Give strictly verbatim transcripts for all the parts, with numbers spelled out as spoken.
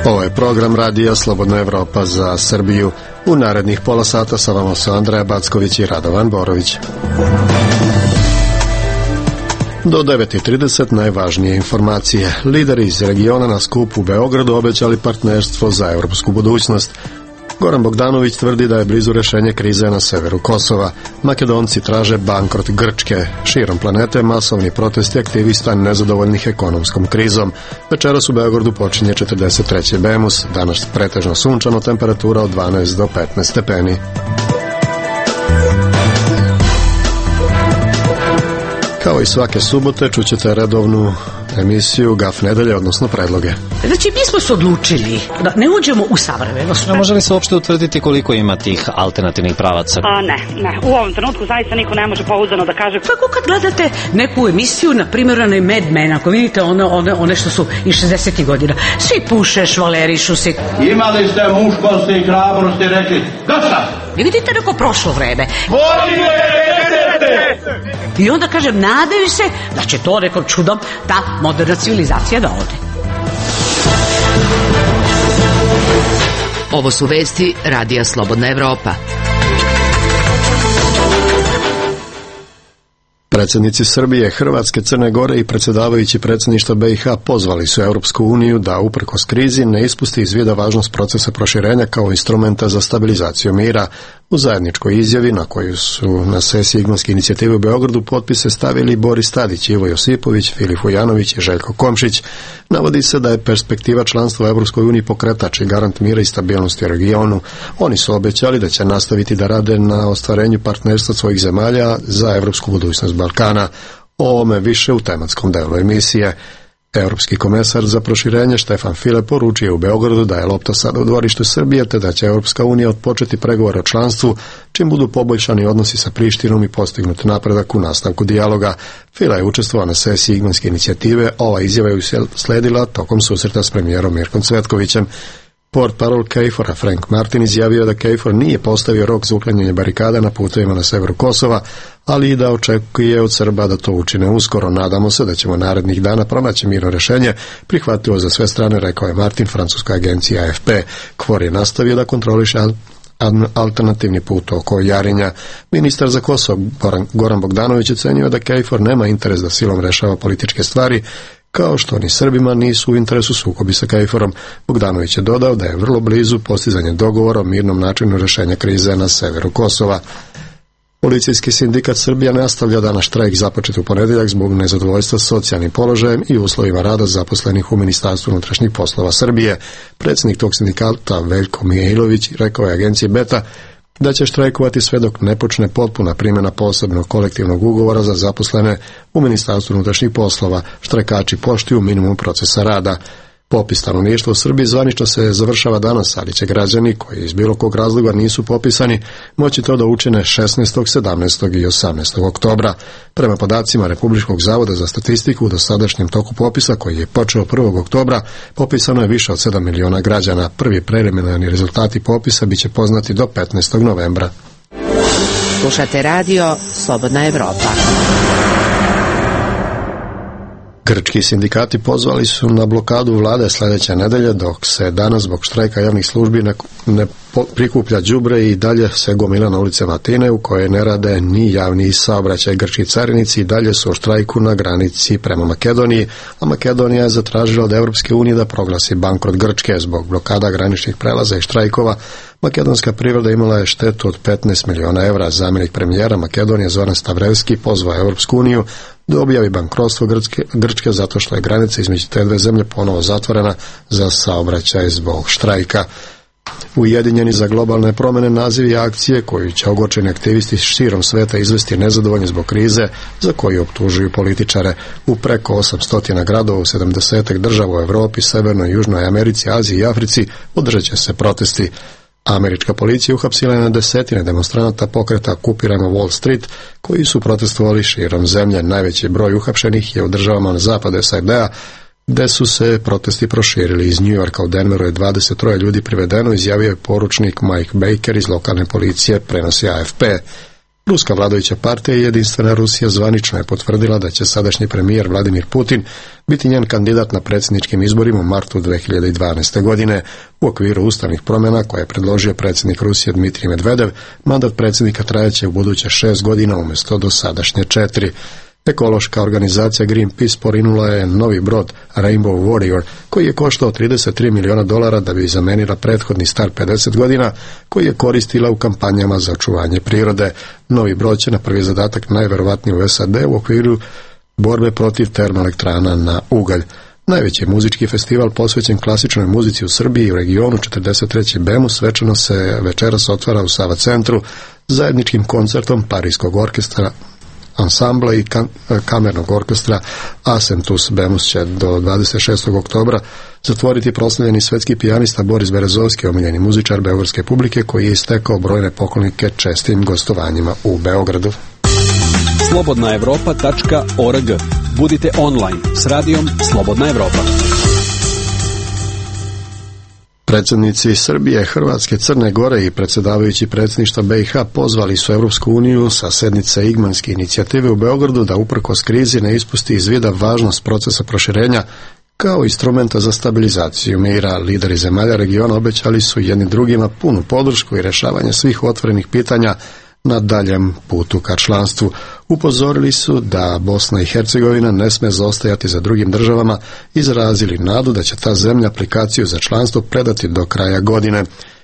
Ovo je program Radija Slobodna Evropa za Srbiju. U narednih pola sata sa vama su Andreja Backović i Radovan Borović. Do devet i trideset najvažnije informacije. Lideri iz regiona na skupu u Beogradu obećali partnerstvo za evropsku budućnost. Goran Bogdanović tvrdi da je blizu rešenje krize na severu Kosova. Makedonci traže bankrot Grčke. Širom planete masovni protesti aktivista nezadovoljnih ekonomskom krizom. Večeras u Beogradu počinje četrdeset treći Bemus. Danas pretežno sunčano, temperatura od dvanaest do petnaest stepeni. Kao i svake subote čućete redovnu emisiju Gaf nedelje, odnosno predloge. Znači, mi smo se odlučili da ne uđemo u savremenost. A može li se uopšte utvrditi koliko ima tih alternativnih pravaca? A ne, ne. U ovom trenutku zaista niko ne može pouzdano da kaže. Kako kad gledate neku emisiju, na primjer, onaj Mad Men, ako vidite one, one, one što su iz šezdesetih godina, svi puše, švalerišu se. Imali ste muškosti i hrabrosti, rekli, dosta! I vidite neko prošlo vreme. Volite! I onda kažem, nadaju se da će to nekom čudom ta moderna civilizacija da ode. Ovo su vesti Radija Slobodna Evropa. Predsjednici Srbije, Hrvatske, Crne Gore i predsjedavajući predsjedništva B i H pozvali su Europsku uniju da, uprkos krizi, ne ispusti iz vida važnost procesa proširenja kao instrumenta za stabilizaciju mira. U zajedničkoj izjavi, na koju su na sesiji Igmanske inicijative u Beogradu potpise stavili Boris Tadić, Ivo Josipović, Filip Vujanović i Željko Komšić, navodi se da je perspektiva članstva u Europskoj uniji pokretač i garant mira i stabilnosti u regionu. Oni su obećali da će nastaviti da rade na ostvarenju partnerstva svojih zemalja za evropsku budućnost Balkana. O ovome više u tematskom delu emisije. Europski komesar za proširenje Štefan File poručio u Beogradu da je lopta sada u dvorištu Srbije, te da će Europska unija odpočeti pregovore o članstvu, čim budu poboljšani odnosi sa Prištinom i postignut napredak u nastavku dijaloga. File je učestvovao na sesiji Igmanske inicijative, ova izjava je sledila tokom susreta s premijerom Mirkom Cvetkovićem. Portparol KFOR-a Frank Martin izjavio da KFOR nije postavio rok za uklanjanje barikada na putevima na severu Kosova, ali i da očekuje od Srba da to učine uskoro. Nadamo se da ćemo narednih dana pronaći mirno rješenje, prihvatljivo za sve strane, rekao je Martin francuskoj agenciji A F P. KFOR je nastavio da kontroliše alternativni put oko Jarinja. Ministar za Kosovo Goran Bogdanović ocenio da KFOR nema interes da silom rešava političke stvari, kao što ni Srbima nisu u interesu sukobi sa KFOR-om. Bogdanović je dodao da je vrlo blizu postizanje dogovora o mirnom načinu rješenja krize na severu Kosova. Policijski sindikat Srbija nastavlja danas štrajk započet u ponedjeljak zbog nezadovoljstva socijalnim položajem i uslovima rada zaposlenih u Ministarstvu unutrašnjih poslova Srbije. Predsjednik tog sindikata Veljko Mijailović rekao je agenciji Beta da će štrajkovati sve dok ne počne potpuna primjena posebnog kolektivnog ugovora za zaposlene u Ministarstvu unutrašnjih poslova. Štrajkači poštuju minimum procesa rada. Popis stanovništva u Srbiji zvanično se završava danas, ali će građani koji iz bilo kog razloga nisu popisani moći to da učine šesnaestog, sedamnaestog i osamnaestog oktobra. Prema podacima Republičkog zavoda za statistiku, u dosadašnjem toku popisa, koji je počeo prvog oktobra, popisano je više od sedam miliona građana. Prvi preliminarni rezultati popisa biće poznati do petnaestog novembra. Slušate radio Slobodna Evropa. Grčki sindikati pozvali su na blokadu vlade sljedeće nedelje, dok se danas zbog štrajka javnih službi ne, ne prikuplja đubre i dalje se gomila na ulicama Atine, u kojoj ne rade ni javni saobraćaj. Grčki carinici i dalje su u štrajku na granici prema Makedoniji, a Makedonija je zatražila od Europske unije da proglasi bankrot Grčke. Zbog blokada graničnih prelaza i štrajkova makedonska privreda imala je štetu od petnaest miliona evra. Zamjenik premijera Makedonije Zoran Stavrevski pozvao Europsku uniju da objavi bankrotstvo Grčke, Grčke zato što je granica između te dve zemlje ponovo zatvorena za saobraćaj zbog štrajka. Ujedinjeni za globalne promjene naziv je akcije koju će ogorčeni aktivisti širom sveta izvesti nezadovoljni zbog krize za koju optužuju političare. U preko osamsto gradova u sedamdeset država u Europi, Severnoj i Južnoj Americi, Aziji i Africi održat će se protesti. Američka policija uhapsila je na desetine demonstranata pokreta Okupirajmo Wall Street, koji su protestovali širom zemlje. Najveći broj uhapšenih je u državama na zapadu S A D-a, gde su se protesti proširili. Iz Njujorka u Denveru je dvadeset troje ljudi privedeno, izjavio je poručnik Mike Baker iz lokalne policije, prenosi A F P. Ruska vladajuća partija Jedinstvena Rusija zvanično je potvrdila da će sadašnji premijer Vladimir Putin biti njen kandidat na predsjedničkim izborima u martu dve hiljade dvanaeste. godine. U okviru ustavnih promjena koje je predložio predsjednik Rusije Dmitrij Medvedev, mandat predsjednika trajaće u buduće šest godina umjesto do sadašnje četiri. Ekološka organizacija Greenpeace porinula je novi brod Rainbow Warrior, koji je koštao trideset tri miliona dolara da bi zamenila prethodni star pedeset godina, koji je koristila u kampanjama za očuvanje prirode. Novi brod će na prvi zadatak najverovatnije u S A D u okviru borbe protiv termoelektrana na ugalj. Najveći muzički festival posvećen klasičnoj muzici u Srbiji i u regionu četrdeset treći BEMU svečano se večeras otvara u Sava centru zajedničkim koncertom Parijskog orkestra ansambla i kam, kamernog orkestra Asentus. BEMUS će do dvadeset šestog oktobra zatvoriti proslavljeni svetski pijanista Boris Berezovski, omiljeni muzičar beogradske publike koji je istekao brojne poklonike čestim gostovanjima u Beogradu. slobodna evropa tačka org. Budite online s radijom Slobodna Evropa. Predsjednici Srbije, Hrvatske, Crne Gore i predsjedavajući predsjedništva B i H pozvali su Europsku uniju sa sednice Igmanske inicijative u Beogradu da uprkos krizi ne ispusti iz vida važnost procesa proširenja kao instrumenta za stabilizaciju mira. Lideri zemalja regiona obećali su jedni drugima punu podršku i rješavanje svih otvorenih pitanja na daljem putu ka članstvu. Upozorili su da Bosna i Hercegovina ne sme zaostajati za drugim državama, izrazili nadu da će ta zemlja aplikaciju za članstvo predati do kraja godine.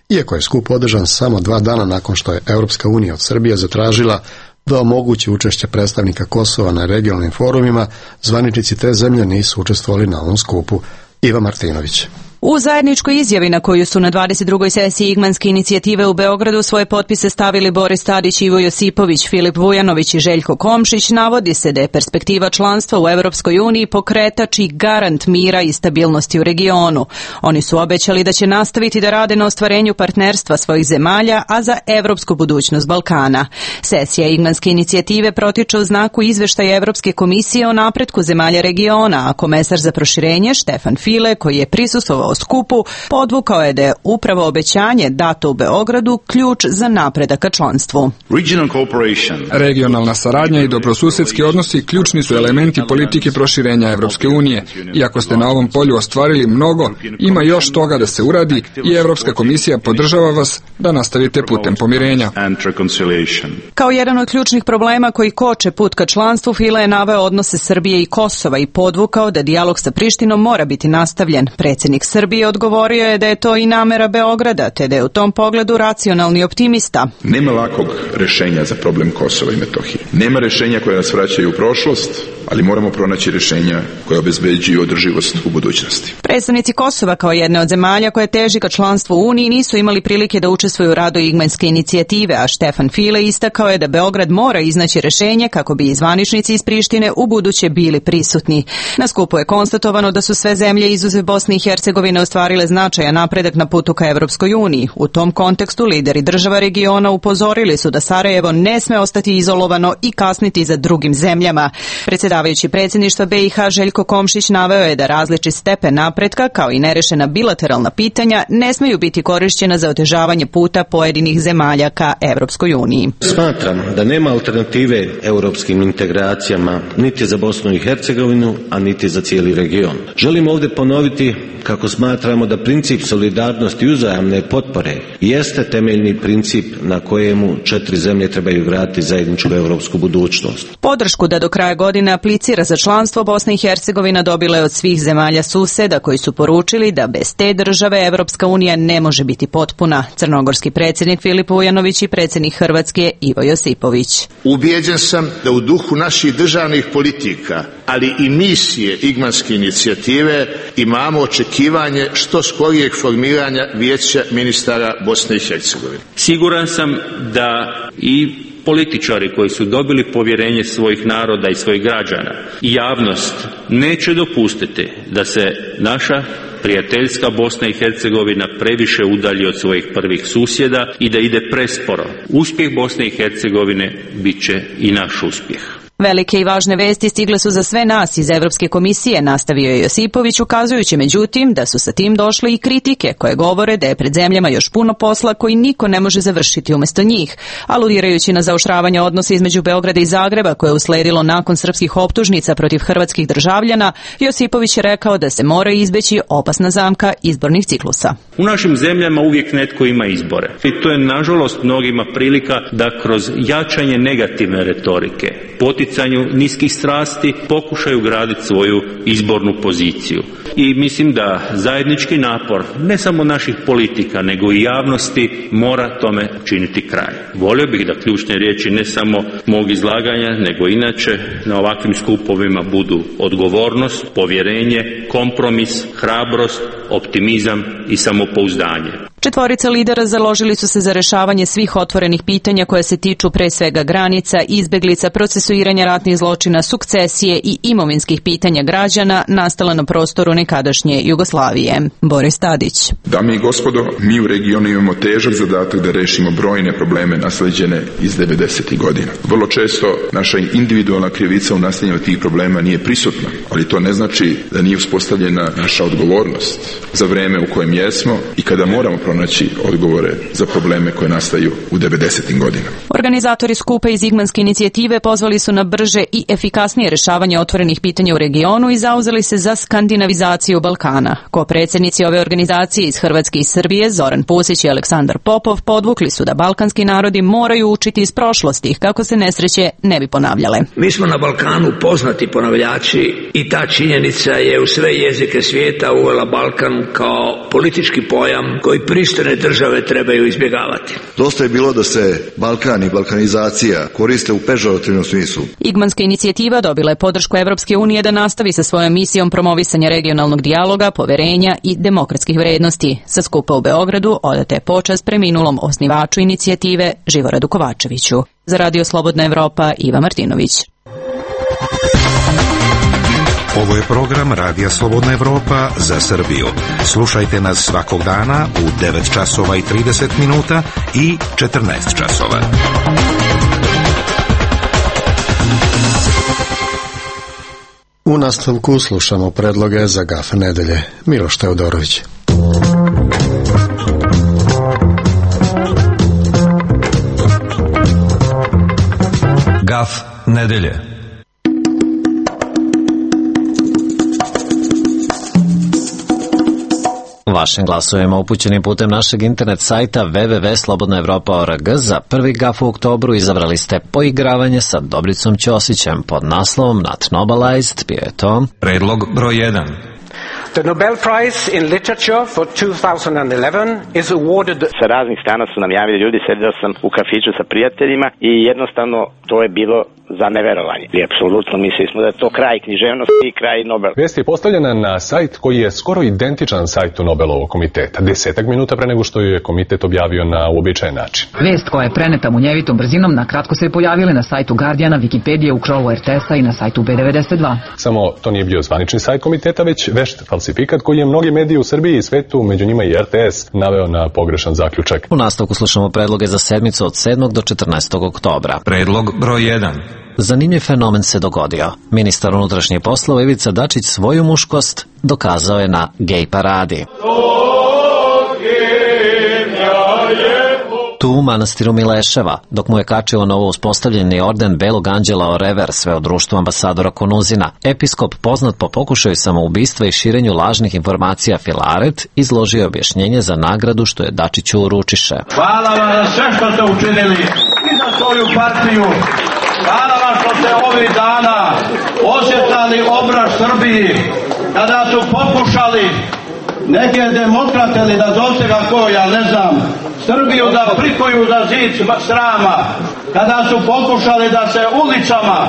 Iako je skup održan samo dva dana nakon što je Europska unija od Srbije zatražila da omogući učešće predstavnika Kosova na regionalnim forumima, zvaničnici te zemlje nisu učestvovali na ovom skupu. Iva Martinović. U zajedničkoj izjavi na koju su na dvadeset drugoj sesiji Igmanske inicijative u Beogradu svoje potpise stavili Boris Tadić, Ivo Josipović, Filip Vujanović i Željko Komšić, navodi se da je perspektiva članstva u Evropskoj uniji pokretač i garant mira i stabilnosti u regionu. Oni su obećali da će nastaviti da rade na ostvarenju partnerstva svojih zemalja, a za evropsku budućnost Balkana. Sesija Igmanske inicijative protiče u znaku izveštaja Evropske komisije o napretku zemalja regiona, a komesar za proširenje Štefan File, koji je prisustvovao o skupu, podvukao je da je upravo obećanje dato u Beogradu ključ za napredak ka članstvu. Regionalna saradnja i dobrosusedski odnosi ključni su elementi politike proširenja Evropske unije. Iako ste na ovom polju ostvarili mnogo, ima još toga da se uradi i Evropska komisija podržava vas da nastavite putem pomirenja. Kao jedan od ključnih problema koji koče put ka članstvu, Fila je naveo odnose Srbije i Kosova i podvukao da dijalog sa Prištinom mora biti nastavljen. Predsjednik Srbije odgovorio je da je to i namera Beograda, te da je u tom pogledu racionalni optimista. Nema lakog rješenja za problem Kosova i Metohije. Nema rješenja koja nas vraćaju u prošlost, ali moramo pronaći rješenja koja obezbeđuju održivost u budućnosti. Predstavnici Kosova kao jedne od zemalja koje teži ka članstvu u Uniji nisu imali prilike da učestvuju u radu Igmanske inicijative, a Štefan File istakao je da Beograd mora iznaći rješenje kako bi i zvaničnici iz Prištine u buduće bili prisutni. Na skupu je konstatovano da su sve zemlje izuzev Bosne i Hercegovine ostvarile značajan napredak na putu ka Evropskoj uniji. U tom kontekstu lideri država regiona upozorili su da Sarajevo ne sme ostati izolovano i kasniti za drugim zemljama. Predsjedavajući predsjedništva B i H Željko Komšić naveo je da različit stepen napretka kao i nerešena bilateralna pitanja ne smeju biti korišćena za otežavanje puta pojedinih zemalja ka Evropskoj uniji. Smatram da nema alternative europskim integracijama niti za Bosnu i Hercegovinu, a niti za cijeli region. Želim ovdje ponoviti kako smatramo da princip solidarnosti i uzajamne potpore jeste temeljni princip na kojemu četiri zemlje trebaju graditi zajedničku europsku budućnost. Podršku da do kraja godine aplicira za članstvo Bosna i Hercegovina dobila je od svih zemalja suseda koji su poručili da bez te države Evropska unija ne može biti potpuna. Crnogorski predsjednik Filip Vujanović i predsjednik Hrvatske Ivo Josipović. Ubijeđen sam da u duhu naših državnih politika, ali i misije Igmanske inicijative imamo očekivanje što skorijeg formiranja Vijeća ministara Bosne i Hercegovine. Siguran sam da i političari koji su dobili povjerenje svojih naroda i svojih građana i javnost neće dopustiti da se naša prijateljska Bosna i Hercegovina previše udalji od svojih prvih susjeda i da ide presporo. Uspjeh Bosne i Hercegovine bit će i naš uspjeh. Velike i važne vesti stigle su za sve nas iz Evropske komisije, nastavio je Josipović, ukazujući međutim da su sa tim došle i kritike koje govore da je pred zemljama još puno posla koji niko ne može završiti umesto njih. Aludirajući na zaoštravanje odnosa između Beograda i Zagreba koje je usledilo nakon srpskih optužnica protiv hrvatskih državljana, Josipović je rekao da se mora izbeći opasna zamka izbornih ciklusa. U našim zemljama uvijek netko ima izbore. I to je nažalost mnogima prilika da kroz jačanje negativne retorike, poticanju niskih strasti pokušaju graditi svoju izbornu poziciju. I mislim da zajednički napor ne samo naših politika nego i javnosti mora tome činiti kraj. Volio bih da ključne riječi ne samo mog izlaganja nego inače na ovakvim skupovima budu odgovornost, povjerenje, kompromis, hrabrost, optimizam i samopouzdanje. Četvorica lidera založili su se za rešavanje svih otvorenih pitanja koje se tiču pre svega granica, izbeglica, procesuiranja ratnih zločina, sukcesije i imovinskih pitanja građana nastala na prostoru nekadašnje Jugoslavije. Boris Tadić. Dame i gospodo, mi u regionu imamo težak zadatak da rešimo brojne probleme nasleđene iz devedesetih godina. Vrlo često naša individualna krivica u nastavljanju tih problema nije prisutna, ali to ne znači da nije uspostavljena naša odgovornost za vreme u kojem jesmo i kada moramo pronaći odgovore za probleme koje nastaju u devedesetim godinama. Organizatori skupa iz Igmanske inicijative pozvali su na brže i efikasnije rešavanje otvorenih pitanja u regionu i zauzeli se za skandinavizaciju Balkana. Ko-predsjednici ove organizacije iz Hrvatske i Srbije, Zoran Pusić i Aleksandar Popov, podvukli su da balkanski narodi moraju učiti iz prošlosti kako se nesreće ne bi ponavljale. Mi smo na Balkanu poznati ponavljači i ta činjenica je u sve jezike svijeta uvela Balkan kao politički pojam koji pristojne države trebaju izbjegavati. Dosta je bilo da se Balkan i balkanizacija koriste u pežorativnom smislu. Igmanska inicijativa dobila je podršku Evropske unije da nastavi sa svojom misijom promovisanja regionalnog dijaloga, poverenja i demokratskih vrednosti. Sa skupa u Beogradu odata je počast preminulom osnivaču inicijative Živoradu Kovačeviću. Za Radio Slobodna Evropa, Iva Martinović. Ovo je program Radija Slobodna Evropa za Srbiju. Slušajte nas svakog dana u devet časova i trideset minuta i četrnaest časova. U nastavku slušamo predloge za gaf nedelje. Miloš Teodorović. Gaf nedelje. Vašim glasovima upućenim putem našeg internet sajta w w w tačka slobodna evropa tačka org za prvi gaf u oktobru izabrali ste poigravanje sa Dobricom Ćosićem pod naslovom Not Nobilized, bio je to predlog broj jedan. The Nobel Prize in Literature for two thousand eleven is awarded. Sa raznih strana su nam javili ljudi, sedio sam u kafiću sa prijateljima i jednostavno to je bilo za neverovanje. I apsolutno mislili smo da je to kraj književnosti i kraj Nobel. Vest je postavljena na sajt koji je skoro identičan sajtu Nobelovog komiteta. Desetak minuta pre nego što ju je komitet objavio na uobičajen način. Vest koja je preneta munjevitom brzinom na kratko se je pojavila na sajtu Guardiana, Wikipedije, u Krolu er te es-a i na sajtu be devedeset dva. Samo to nije bio zvanični sajt komiteta, već vešt falsifikat koji je mnogi mediji u Srbiji i svetu, među njima i er te es, naveo na pogrešan zaključak. U nastavku slušamo predloge za sedmicu od sedmog do četrnaestog oktobra. Predlog broj jedan. Zanimljiv fenomen se dogodio. Ministar unutrašnjih poslova Ivica Dačić svoju muškost dokazao je na gej paradi. Tu u manastiru Mileševa, dok mu je kačio novo uspostavljeni orden Belog anđela Orever, sve od društvu ambasadora Konuzina, episkop poznat po pokušaju samoubistva i širenju lažnih informacija Filaret, izložio objašnjenje za nagradu što je Dačiću uručiše. Hvala vam za sve što ste učinili i za svoju partiju. Hvala vam što ste ovih dana osjetali obraz Srbiji, kada su pokušali neke demokrate ili da zovte ga ko, ja ne znam, Srbiju da prikuju za zid srama, kada su pokušali da se ulicama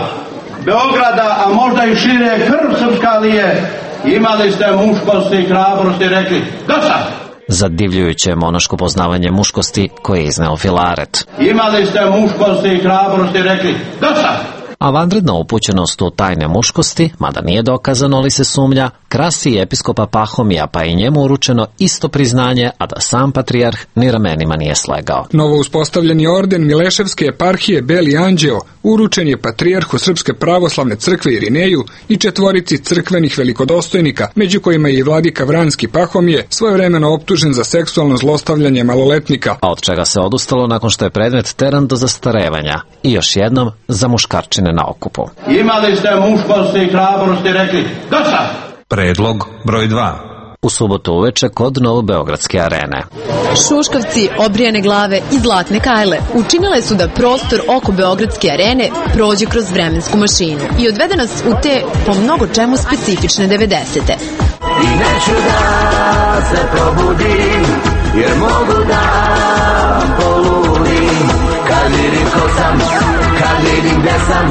Beograda, a možda i šire krv srpska lije, imali ste muškosti i hrabrosti i rekli, dosta! Zadivljujuće monaško poznavanje muškosti koje je izneo Filaret. Imali ste muškosti i hrabrosti i rekli, dosta! A vanredna upućenost u tajne muškosti, mada nije dokazano li se sumnja, krasi i episkopa Pahomija, pa je i njemu uručeno isto priznanje, a da sam patrijarh ni ramenima nije slegao. Novo uspostavljeni orden Mileševske eparhije Beli anđeo uručen je patrijarhu Srpske pravoslavne crkve Irineju i četvorici crkvenih velikodostojnika, među kojima je i vladika Vranski Pahomije, svojevremeno optužen za seksualno zlostavljanje maloletnika. A od čega se odustalo nakon što je predmet teran do zastarevanja i još jednom za muškarčine na okupu. Imali ste muškosti i hrabrosti, rekli dosta! Predlog broj dva. U subotu uveče kod Novobeogradske arene. Šuškavci, obrijane glave i zlatne kajle učinile su da prostor oko Beogradske arene prođe kroz vremensku mašinu i odvede nas u te po mnogo čemu specifične devedesete. I neću da se probudim, jer mogu da poludim, kad vidim ko sam, kad vidim gde sam,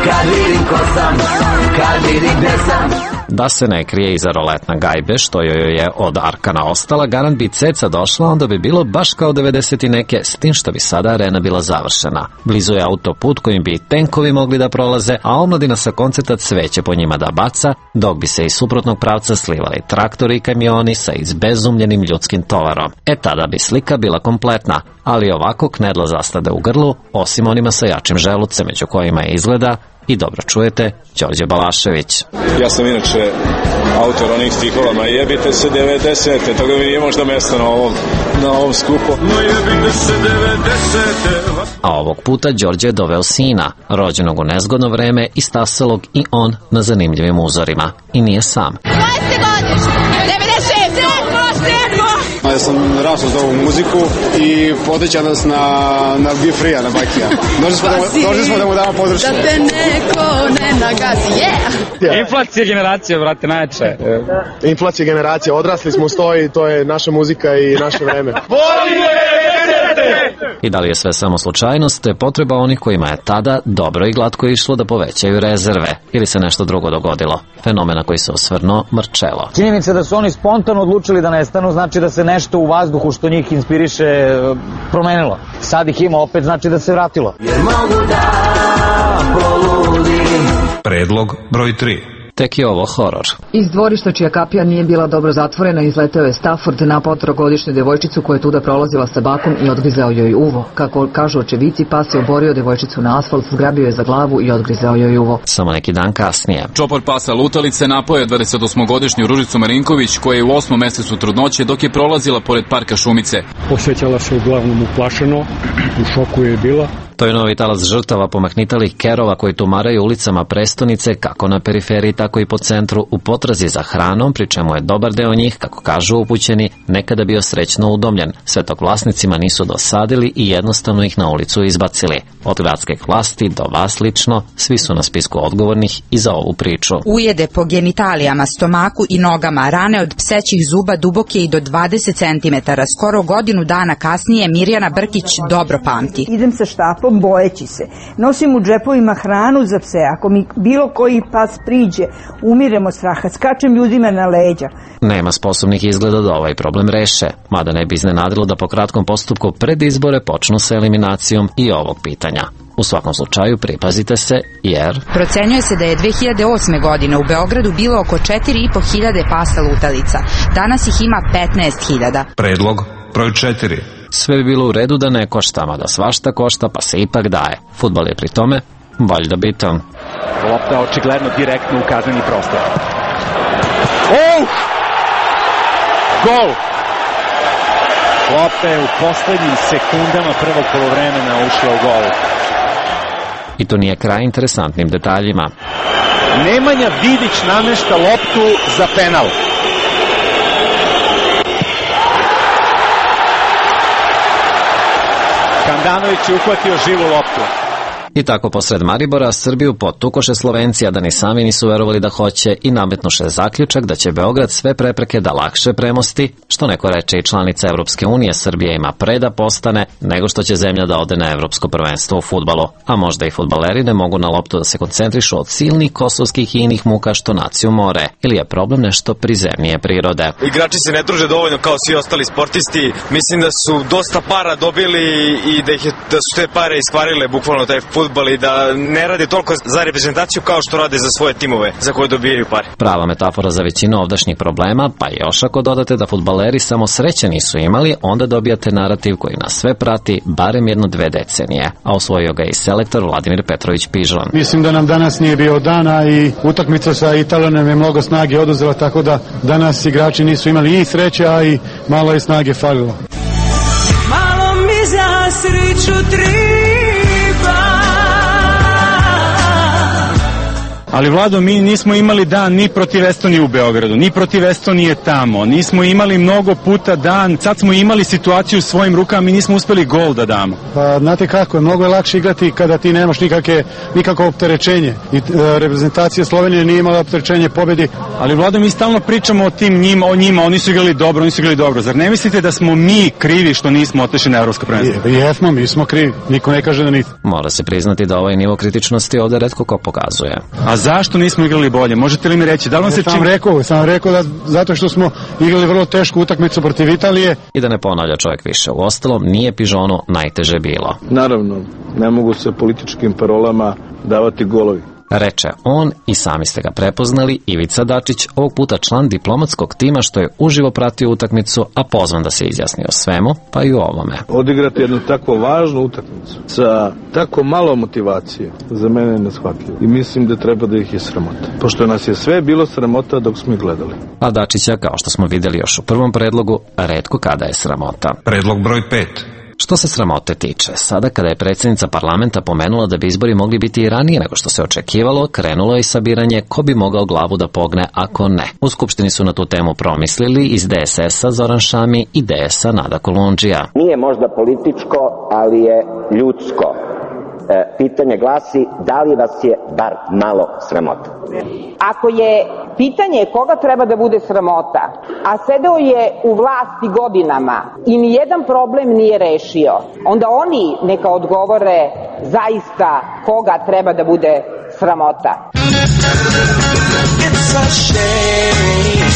kad vidim ko sam, kad vidim gde sam. Da se ne krije iza roletna gajbe, što joj je od Arkana ostala, garant bi ceca došla, onda bi bilo baš kao devedeset i neke, s tim što bi sada arena bila završena. Blizu je autoput kojim bi i tenkovi mogli da prolaze, a omladina sa koncerta cveće po njima da baca, dok bi se iz suprotnog pravca slivali traktori i kamioni sa izbezumljenim ljudskim tovarom. E tada bi slika bila kompletna, ali ovako knedla zastade u grlu, osim onima sa jačim želucem, među kojima je izgleda, i dobro čujete, Đorđe Balašević. Ja sam inače autor onih stihova, ma jebite se devedesete, toga mi nije možda mjesto na ovom, na ovom skupu. Ma jebite se devedesete. A ovog puta Đorđe je doveo sina, rođenog u nezgodno vreme i stasalog i on na zanimljivim uzorima. I nije sam. Koje ste godište? devedeset šeste. Ja sam rastao za ovu muziku i potiče nas na, na Be Free-a, na Bakija. Došli smo, došli smo da mu damo podršku. Da te neko ne nagazi, yeah! Yeah. Inflacija generacija, brate, najjače. Yeah. Inflacija generacija, odrasli smo u stoji, to je naša muzika i naše vreme. I da li je sve samo slučajnost, te potreba onih kojima je tada dobro i glatko išlo da povećaju rezerve, ili se nešto drugo dogodilo? Fenomena koji se osvrnuo Marcello. Činjenica da su oni spontano odlučili da nestanu, znači da se nešto u vazduhu što njih inspiriše promenilo. Sad ih ima opet, znači da se vratilo. Jer mogu da poludim. Predlog broj tri. Tek je ovo horor. Iz dvorišta čija kapija nije bila dobro zatvorena izleteo je Stafford na potrogodišnju devojčicu koja je tuda prolazila sa bakom i odgrizao joj uvo. Kako kažu očevici, pas je oborio devojčicu na asfalt, zgrabio je za glavu i odgrizao joj uvo. Samo neki dan kasnije. Čopor pasa lutalice napao je dvadesetosmogodišnju Ružicu Marinković koja je u osmom mesecu trudnoće dok je prolazila pored parka Šumice. Osjećala se uglavnom uplašeno, u šoku je bila. To je novi talas žrtava pomahnitalih kerova koji tumaraju ulicama prestonice, kako na periferiji, tako i po centru, u potrazi za hranom, pri čemu je dobar deo njih, kako kažu upućeni, nekada bio srećno udomljen, sve dok vlasnicima nisu dosadili i jednostavno ih na ulicu izbacili. Od gradskih vlasti do vas lično, svi su na spisku odgovornih i za ovu priču. Ujede po genitalijama, stomaku i nogama, rane od psećih zuba duboke i do dvadeset centimetara. Skoro godinu dana kasnije Mirjana Brkić dobro pamti. Idem sa štapom bojeći se. Nosim u džepovima hranu za pse. Ako mi bilo koji pas priđe, umirem od straha. Skačem ljudima na leđa. Nema sposobnih izgleda da ovaj problem reše, mada ne bi iznenadilo da po kratkom postupku pred izbore počnu sa eliminacijom i ovog pitanja. U svakom slučaju pripazite se, jer... Procenjuje se da je dve hiljade osme. godine u Beogradu bilo oko četiri i po hiljade pasa lutalica. Danas ih ima petnaest hiljada. Predlog broj četiri. Sve bi bilo u redu da ne košta, mada svašta košta, pa se ipak daje. Fudbal je pri tome valjda bitan. Lopta očigledno direktno u kazneni prostor. Oh! Gol! Lopta je u poslednjim sekundama prvog polovremena ušla u gol. I to nije kraj interesantnim detaljima. Nemanja Vidić namešta loptu za penal. Handanović je uhvatio živu loptu. I tako posred Maribora Srbiju potukoše Slovenci, a da ni sami nisu verovali da hoće i nametnuše zaključak da će Beograd sve prepreke da lakše premosti, što neko reče i članica Evropske unije, Srbija ima pre da postane nego što će zemlja da ode na evropsko prvenstvo u fudbalu, a možda i fudbaleri ne mogu na loptu da se koncentrišu od silnih kosovskih i inih muka što naciju more, ili je problem nešto prizemnije prirode. Igrači se ne druže dovoljno kao svi ostali sportisti, mislim da su dosta para dobili i da, ih je, da su te pare iskvarile bukvalno taj fudbal fudbal i da ne rade toliko za reprezentaciju kao što rade za svoje timove za koje dobijaju pare. Prava metafora za većinu ovdašnjih problema, pa još ako dodate da fudbaleri samo sreće nisu imali, onda dobijate narativ koji nas sve prati barem jedno dve decenije, a osvojio ga i selektor Vladimir Petrović Pižon. Mislim da nam danas nije bio dana i utakmica sa Italijom je mnogo snage oduzela, tako da danas igrači nisu imali i sreće, a i malo je snage falilo. Malo mi za sreću treba. Ali Vlado, mi nismo imali dan ni protiv Estonije u Beogradu, ni protiv Estonije tamo, nismo imali mnogo puta dan, sad smo imali situaciju u svojim rukama, mi nismo uspeli gol da damo. Pa znate kako, mnogo je lakše igrati kada ti nemaš nikakve, nikakvo opterećenje i e, reprezentacija Slovenije nije imala opterećenje pobedi. Ali Vlado, mi stalno pričamo o tim njima, o njima, oni su igrali dobro, oni su igrali dobro, zar ne mislite da smo mi krivi što nismo otišli na evropsko prvenstvo? Jesmo, mi smo krivi, niko ne kaže da nismo. Mora se priznati da ovaj nivo kritičnosti ovde retko ko pokazuje. A zašto nismo igrali bolje? Možete li mi reći? Da li vam se sam čim... rekao, sam rekao da zato što smo igrali vrlo tešku utakmicu protiv Italije. I da ne ponavlja čovjek više. U ostalom, nije Pižonu najteže bilo. Naravno, ne mogu se političkim parolama davati golovi. Reče on, i sami ste ga prepoznali, Ivica Dačić, ovog puta član diplomatskog tima što je uživo pratio utakmicu, a pozvan da se izjasni o svemu, pa i o ovome. Odigrati jednu tako važnu utakmicu sa tako malo motivacije za mene je neshvatljivo i mislim da treba da ih je sramota. Pošto nas je sve bilo sramota dok smo ih gledali. A Dačića, kao što smo videli još u prvom predlogu, retko kada je sramota. Predlog broj pet. Što se sramote tiče, sada kada je predsjednica parlamenta pomenula da bi izbori mogli biti i ranije nego što se očekivalo, krenulo je i sabiranje ko bi mogao glavu da pogne ako ne. U Skupštini su na tu temu promislili iz D S S-a Zoran Šami i D S-a Nada Kolundžija. Nije možda političko, ali je ljudsko. E, pitanje glasi, da li vas je bar malo sramota? Ako je pitanje koga treba da bude sramota, a sedeo je u vlasti godinama i nijedan problem nije rešio, onda oni neka odgovore zaista koga treba da bude sramota. It's a shame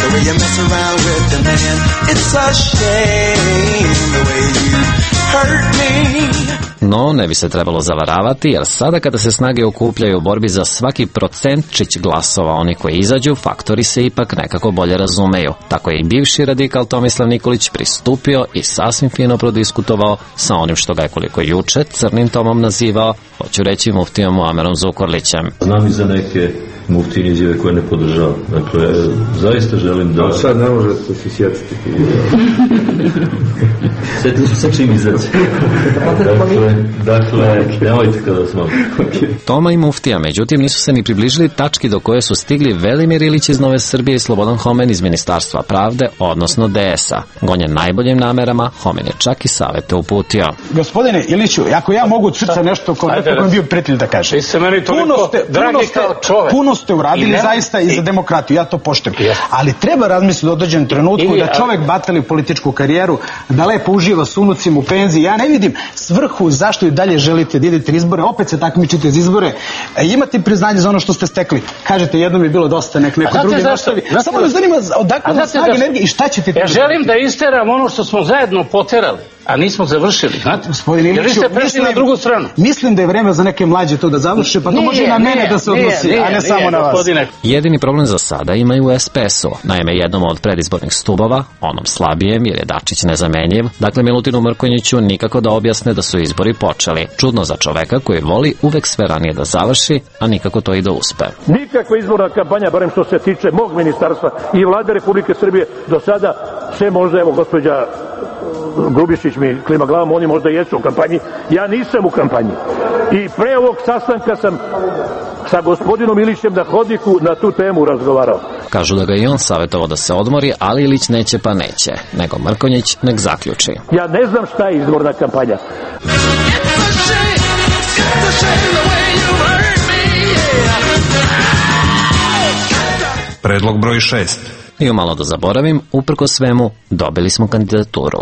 the way you mess around with the man. It's a shame the way you hurt me. No, ne bi se trebalo zavaravati, jer sada kada se snage okupljaju u borbi za svaki procentčić glasova oni koji izađu, faktori se ipak nekako bolje razumeju. Tako je i bivši radikal Tomislav Nikolić pristupio i sasvim fino prodiskutovao sa onim što ga je koliko juče crnim tomom nazivao, hoću reći muftijom Muamerom Zukorlićem. Znam i za neke muftine izjave koje ne podržavam. Dakle, zaista želim da... A sad ne možete se sjetiti. Sjetili su se čim izaći. Dakle, dakle, nemojte kada smo. Toma i muftija, međutim, nisu se ni približili tački do koje su stigli Velimir Ilić iz Nove Srbije i Slobodan Homen iz Ministarstva pravde, odnosno D S-a. Gonjen najboljim namerama, Homen je čak i savete uputio. Gospodine Iliću, ako ja mogu od srca nešto kao neko koji je bio prijatelj da kaže. Puno ste, puno ste, puno ste uradili zaista i za demokratiju, ja to poštujem. Ali treba razmisliti u dođenom trenutku da čovek batali političku karijeru, da lepo uživa s unucima u penziji. Ja ne vidim svrhu zašto i dalje želite da idete na izbore, opet se takmičite za izbore, imate priznanje za ono što ste stekli. Kažete, jednom je bilo dosta, nek neko drugi dostavi. Samo me zanima odakle vam snage energije i šta ćete... Ja želim da isteram ono što smo zajedno poterali, a nismo završili. Znate, gospodine Iliću, jer vi ste prešli na drugu stranu. Mislim da je vreme za neke mlađe to da završe, pa to može i na mene da se odnosi, a ne samo na vas. Jedini problem za sada imaju u S P S-u. Naime, jednom od predizbornih stubova, onom slabijem jer je Dačić nezamenjiv, dakle Milutinu Mrkonjiću nikako da objasne da su izbori počeli. Čudno za čoveka koji voli uvek sve ranije da završi, a nikako to i da uspe. Nikakva izborna kampanja, barem što se tiče mog ministarstva i vlade Republike Srbije, do sada sve možda, evo gospođa Grubišić mi klima glavom, oni možda jesu u kampanji, ja nisam u kampanji. I pre ovog sastanka sam sa gospodinom Ilićem na hodniku na tu temu razgovarao. Kažu da ga i on savjetovao da se odmori, ali Ilić neće pa neće, nego Mrkonjić nek zaključi. Ja ne znam šta je izborna kampanja. Predlog broj šest. I umalo da zaboravim, uprko svemu, dobili smo kandidaturu.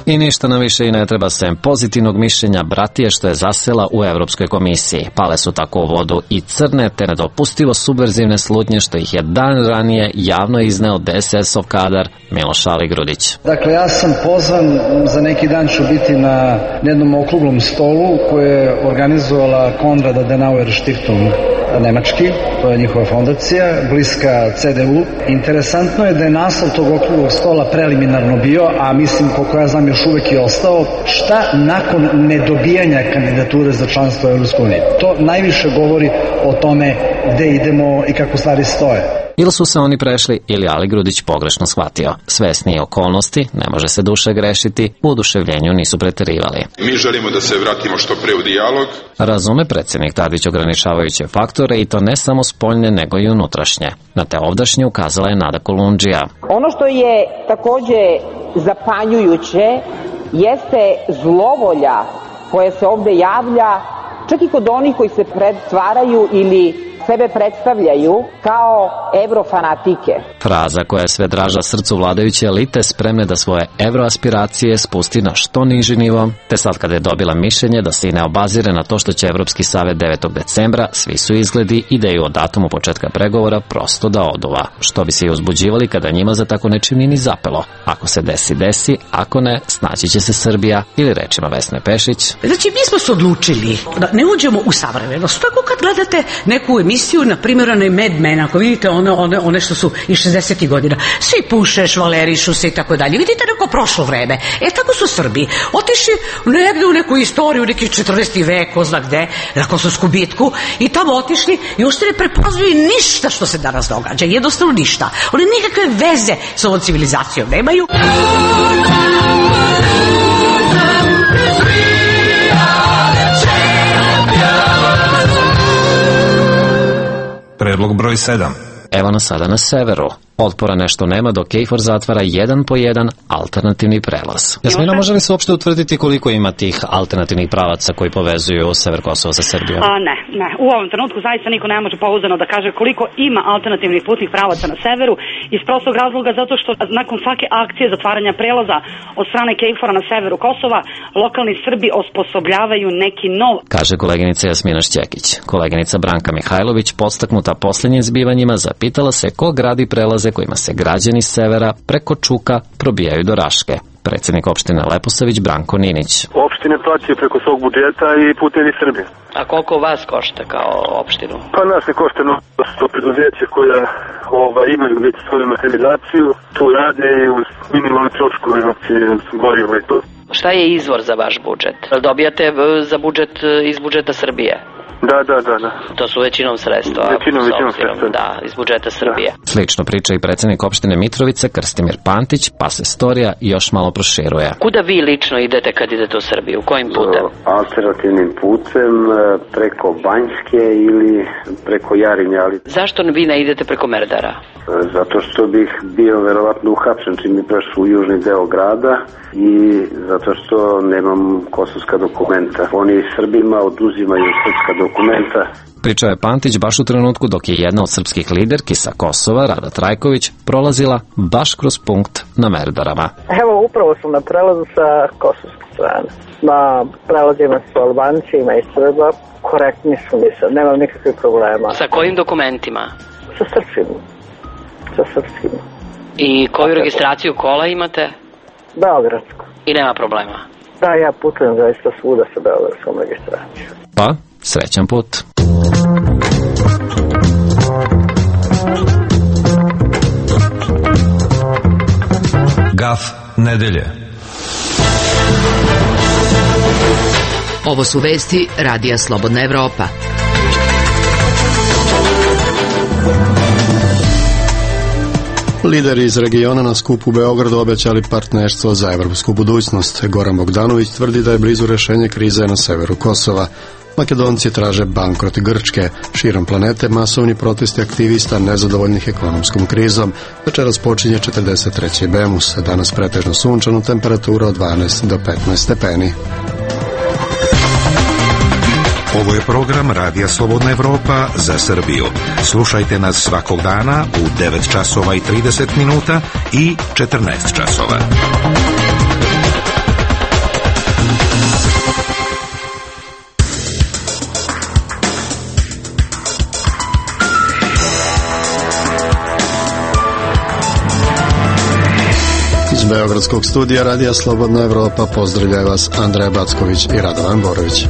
I ništa nam više i ne treba sem pozitivnog mišljenja bratije što je zasela u Evropskoj komisiji. Pale su tako u vodu i crne te nedopustivo subverzivne slutnje što ih je dan ranije javno izneo D S S-ov kadar Miloš Aligrudić. Dakle, ja sam pozvan, za neki dan ću biti na jednom okruglom stolu koje je organizovala Konrad Adenauer Stiftung nemački, to je njihova fondacija, bliska C D U. Interesantno je da je naslov tog okruglog stola preliminarno bio, a mislim koliko ja znam još uvek je ostao, šta nakon nedobijanja kandidature za članstvo u Evropskoj uniji. To najviše govori o tome gde idemo i kako stvari stoje. Ili su se oni prešli ili Aligrudić pogrešno shvatio. Svesni okolnosti, ne može se duše grešiti, u oduševljenju nisu preterivali. Mi želimo da se vratimo što pre u dijalog. Razume predsjednik Tadić ograničavajuće faktore i to ne samo spoljne nego i unutrašnje. Na te ovdašnje ukazala je Nada Kolundžija. Ono što je takođe zapanjujuće jeste zlovolja koja se ovde javlja čak i kod onih koji se pretvaraju ili sebe predstavljaju kao evrofanatike. Fraza koja je sve draža srcu vladajuće elite spremne da svoje evroaspiracije spusti na što niži nivo, te sad kada je dobila mišljenje da se i ne obazire na to što će Evropski savet devetog decembra, svi su izgledi ideju o datumu početka pregovora prosto da oduva, što bi se i uzbuđivali kada njima za tako nečim ni zapelo. Ako se desi, desi, ako ne, snaći će se Srbija ili rečima Vesne Pešić. Znači, mi smo se odlučili da ne uđemo u savremenost. Tako kad gledate neku emisiju, na primjer, onaj Mad Men, ako vidite one, one, one što su iz šezdesetih godina, svi puše, švalerišu se i tako dalje. Vidite neko prošlo vreme. E, tako su Srbi otišli negde u neku istoriju, u neki četrnaesti vek, ko zna gde, na Kosovsku bitku, i tamo otišli i ušte ne prepoznaju ništa što se danas događa. Jednostavno ništa. Oni nikakve veze s ovom civilizacijom nemaju. Predlog broj sedam. Evo nas sada na severu. Otpora nešto nema dok KFOR zatvara jedan po jedan alternativni prelaz. Jasmina, može li se uopšte utvrditi koliko ima tih alternativnih pravaca koji povezuju sever Kosova sa Srbijom? A, ne, ne. U ovom trenutku zaista niko ne može pouzdano da kaže koliko ima alternativnih putnih pravaca na severu, iz prostog razloga zato što nakon svake akcije zatvaranja prelaza od strane KFOR-a na severu Kosova, lokalni Srbi osposobljavaju neki nov. Kaže koleginica Jasmina Šćekić. Koleginica Branka Mihajlović, podstaknuta posljednjim zbivanjima, zapitala se ko gradi prelaz kojima se građani severa preko Čuka probijaju do Raške. Predsjednik opštine Leposavić Branko Ninić. Opštine plaćaju preko svog budžeta i putevi Srbije. A koliko vas košta kao opštinu? Pa nas ne košta sto preduzeće koja ova, imaju već svoju mehanizaciju, tu rade i uz minimalne troškove, znači gorivo i to. Šta je izvor za vaš budžet? Dobijate za budžet iz budžeta Srbije? Da, da, da, da. To su većinom sredstva. Većinom, većinom sredstva. Da, iz budžeta Srbije. Da. Slično priča i predsjednik opštine Mitrovica Krstimir Pantić, pa se storija još malo proširuje. Kuda vi lično idete kad idete u Srbiju? Kojim putem? Alternativnim putem, preko Banjske ili preko Jarinja. Ali... Zašto vi ne idete preko Merdara? Zato što bih bio verovatno uhapšen čim mi prešao u južni deo grada i zato što nemam kosovska dokumenta. Oni Srbima oduzimaju srpska dokumenta. Pričao je Pantić baš u trenutku dok je jedna od srpskih liderki sa Kosova, Rada Trajković, prolazila baš kroz punkt na Merdarama. Evo, upravo sam na prelazu sa kosovske strane. Na prelazima su Albanci, ima i Srba, korektni su mi sad, nemam nikakvih problema. Sa kojim dokumentima? Sa srpskim. Sa srpskim. I koju registraciju kola imate? Beogradsku. I nema problema? Da, ja putujem zaista svuda sa beogradskom registracijom. Pa, srećan put. Gaf nedelje. Ovo su vesti Radija Slobodna Evropa. Lideri iz regiona na skupu u Beogradu obećali partnerstvo za evropsku budućnost. Goran Bogdanović tvrdi da je blizu rešenje krize na severu Kosova. Makedonci traže bankrot Grčke. Širom planete masovni protesti aktivista nezadovoljnih ekonomskom krizom. Večeras počinje četrdeset treći Bemus. Danas pretežno sunčano, temperatura od dvanaest do petnaest stepeni. Ovo je program Radija Slobodna Evropa za Srbiju. Slušajte nas svakog dana u devet časova i trideset minuta i četrnaest časova. Beogradskog studija Radija Slobodna Evropa pozdravljaju vas Andreja Backović i Radovan Borović.